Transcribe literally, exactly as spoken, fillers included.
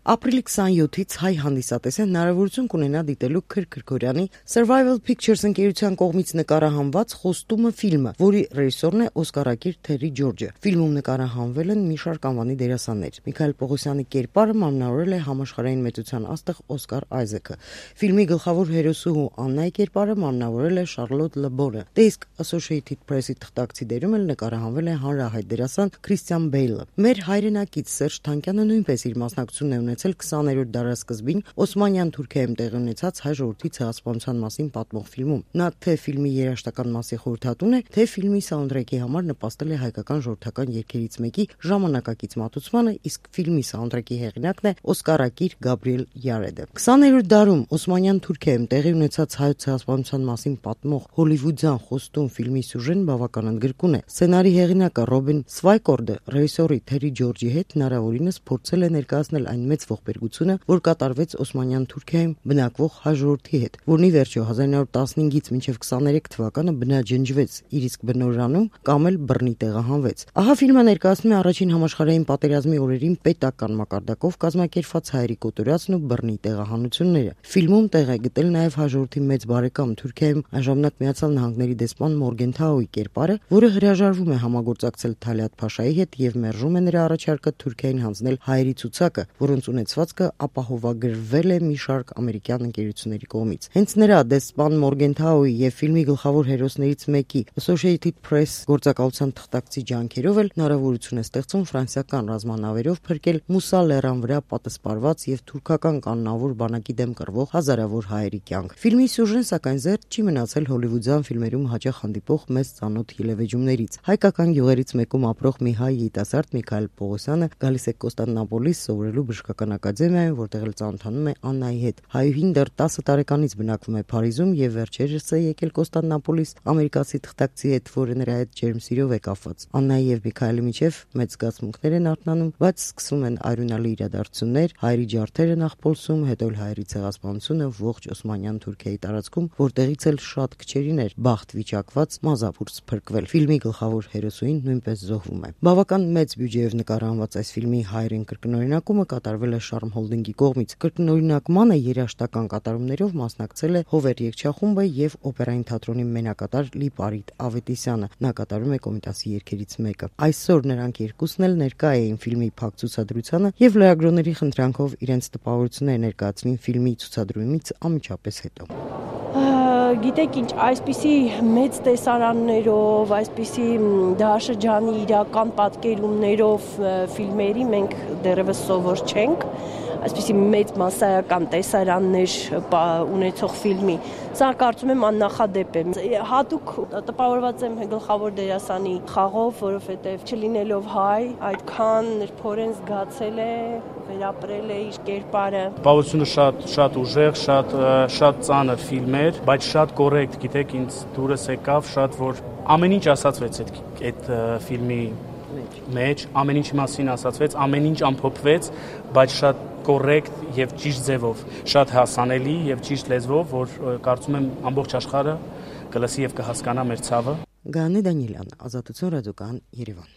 Ապրիլի քսանյոթից հայ հանդիսատեսը հնարավորություն կունենա դիտելու Քրք Գրգորյանի Survival Pictures ընկերության կողմից նկարահանված Խոստումը ֆիլմը, որի ռեժիսորն է օսկարակիր Թերի Ջորջը։ Ֆիլմում նկարահանվել են մի շարք անվանի դերասաններ։ Միքայել Պողոսյանի կերպարը մարմնավորել է համաշխարհային մեծության աստղ Օսկար Այզեքը։ Ֆիլմի գլխավոր հերոսուհու Աննայի կերպարը մարմնավորել է Շարլոտ Լբորը։ Դե իսկ Associated Press-ի թղթակցի դերում էլ նկարահանվել է հանրահայտ դերասան Քրիստիան Բեյլը։ Մեր հայրենակից Սերժ Թանկյանը նույնպես իր մասնակցությունն է ունեցել քսաներորդ դարասկզբին Օսմանյան Թուրքիայում տեղի ունեցած հայ ժողովրդի ցեղասպանության մասին պատմող ֆիլմում։ Նա թե ֆիլմի երաժշտական մասի խորհրդատուն է, թե ֆիլմի սաունդթրեքի համար նպաստել է հայկական ժողովրդական երգերից մեկի ժամանակակից մատուցմանը, իսկ ֆիլմի սաունդթրեքի հեղինակն է օսկարակիր Գաբրիել Յարեդը։ քսաներորդ դարում Օսմանյան Թուրքիայում տեղի ունեցած հայոց ցեղասպանության մասին պատմող հոլիվուդյան Խոստում ֆիլմի սյուժեն բավական ընդգրկուն է։ Սցենարի հեղինակը Ռոբին Սվայկորդը ռեժիսորի Թերի Ջորջի հետ հնարավորինս փորձել է ներկայացնել այն մեծ ողբերգությունը, որ կատարվեց Օսմանյան Թուրքիայում բնակվող հայ ժողովրդի հետ, որն ի վերջո հազար ինը հարյուր տասնհինգից մինչև քսաներեք թվականը բնաջնջվեց իր իսկ բնօրանում կամ էլ բռնի տեղահանվեց։ Ահա ֆիլմը ներկայացնում է առաջին համաշխարհային պատերազմի օրերին պետական մակարդակով կազմակերպված հայերի կոտորածն ու բռնի տեղահանությունները։ Ֆիլմում տեղ է գտել նաև հայ ժողովրդի մեծ բարեկամ Թուրքիայում այժմնակ Միացյալ Նահանգների դեսպան Մորգեն Թաուի կերպարը, որը հրաժարվում է համագործակցել Թալիաթ Փաշայի հետ եւ մերժում է նրա առաջարկը Թուրքիային հանձնել հայերի ցուցակը, որոնց ունեցվածքը ապահովագրվել է մի շարք ամերիկյան ընկերությունների կողմից։ Հենց նրա դեսպան Մորգեն Թաուի եւ ֆիլմի գլխավոր հերոսներից մեկի Associated Press գործակալության թղթակցի ջանքերով էլ հնարավորություն է ստեղծում ֆրանսիական ռազմանավերով փրկել Մուսա լեռան վրա պատսպարված եւ թուրքական կանոնավոր բանակի դեմ կռվող հազարավոր հայերի կյանք։ Ֆիլմի սյուժեն սակայն զերծ չի մնացել հոլիվուդյան ֆիլմերում հաճախ հանդիպող մեծ ծանոթ ելևէջումներից։ Հայկական գյուղերից մեկում ապրող մի հայ երիտասարդ Միքայել Պողոսյանը գալիս է Կոստանդնուպոլիս սովորելու բժշկական ակադեմիայում, որտեղ էլ ծանոթանում է Աննայի հետ։ Հայուհին դեռ տասը տարեկանից բնակվում է Փարիզում եւ վերջերս է եկել Կոստանդնուպոլիս ամերիկացի թղթակցի հետ, որը նրա հետ ջերմ սիրով է կապված։ Աննայի եւ Միքայելի միջև մեծ զգացմունքներ են արթնանում, բայց սկսում են այրունալի իրադարձություններ, հայերի ջարդերը նախ Պոլսում, հետո էլ հայերի ցեղասպանությունը ողջ Օսմանյան Թուրքիայի տարածքում, որտեղից էլ շատ քչերին էր բախտ վիճակված մազապուրս փրկվել։ Ֆիլմի գլխավոր հերոսուհին նույնպես զոհվում է։ Բավական մեծ բյուջեով նկարահանված այս ֆիլմի հայերեն կրկնօրինակումը կատարվել է Շարմ Հոլդինգի կողմից։ Կրկնօրինակմանը երաժշտական կատարումներով մասնակցել է Հովեր երգչախումբը եւ օպերային թատրոնի մենակատար Լիպարիտ Ավետիսյանը։ Նա կատարում է Կոմիտասի երգերից մեկը։ Այսօր նրանք երկուսն էլ ներկա էին ֆիլմի փակ ցուցադրությանը եւ լրագրողների խնդրանքով իրենց տպավորությունները ներկայացրին ֆիլմի ցուցադրումից անմիջապես հետո։ Գիտեք ինչ, այսպիսի մեծ տեսարաններով, այսպիսի դարաշրջանի իրական պատկերումներով ֆիլմերի մենք դեռևս սովոր չենք, այսպիսի մեծ մասսայական տեսարաններ ունեցող ֆիլմի։ Սա կարծում եմ աննախադեպ է։ Հատուկ տպավորված եմ գլխավոր դերասանի խաղով, որովհետև չլինելով հայ, այդքան նրբորեն զգացել է, վերապրել է իր կերպարը։ Տպավորությունը շատ շատ ուժեղ, շատ շատ ծանր ֆիլմ էր, բայց շատ կոռեկտ, գիտեք, ինձ դուրս եկավ շատ, որ ամեն ինչ ասացվեց այդ այդ ֆիլմի մեջ, ամեն ինչի մասին ասացվեց, ամեն ինչ ամփոփվեց, բայց շատ կոռեկտ եւ ճիշտ ձևով, շատ հասանելի եւ ճիշտ լեզվով, որ կարծում եմ ամբողջ աշխարհը կլսի եւ կհասկանա մեր ցավը։ Գաներ Դանիելյան, Ազատություն ռադիոկայան, Երևան։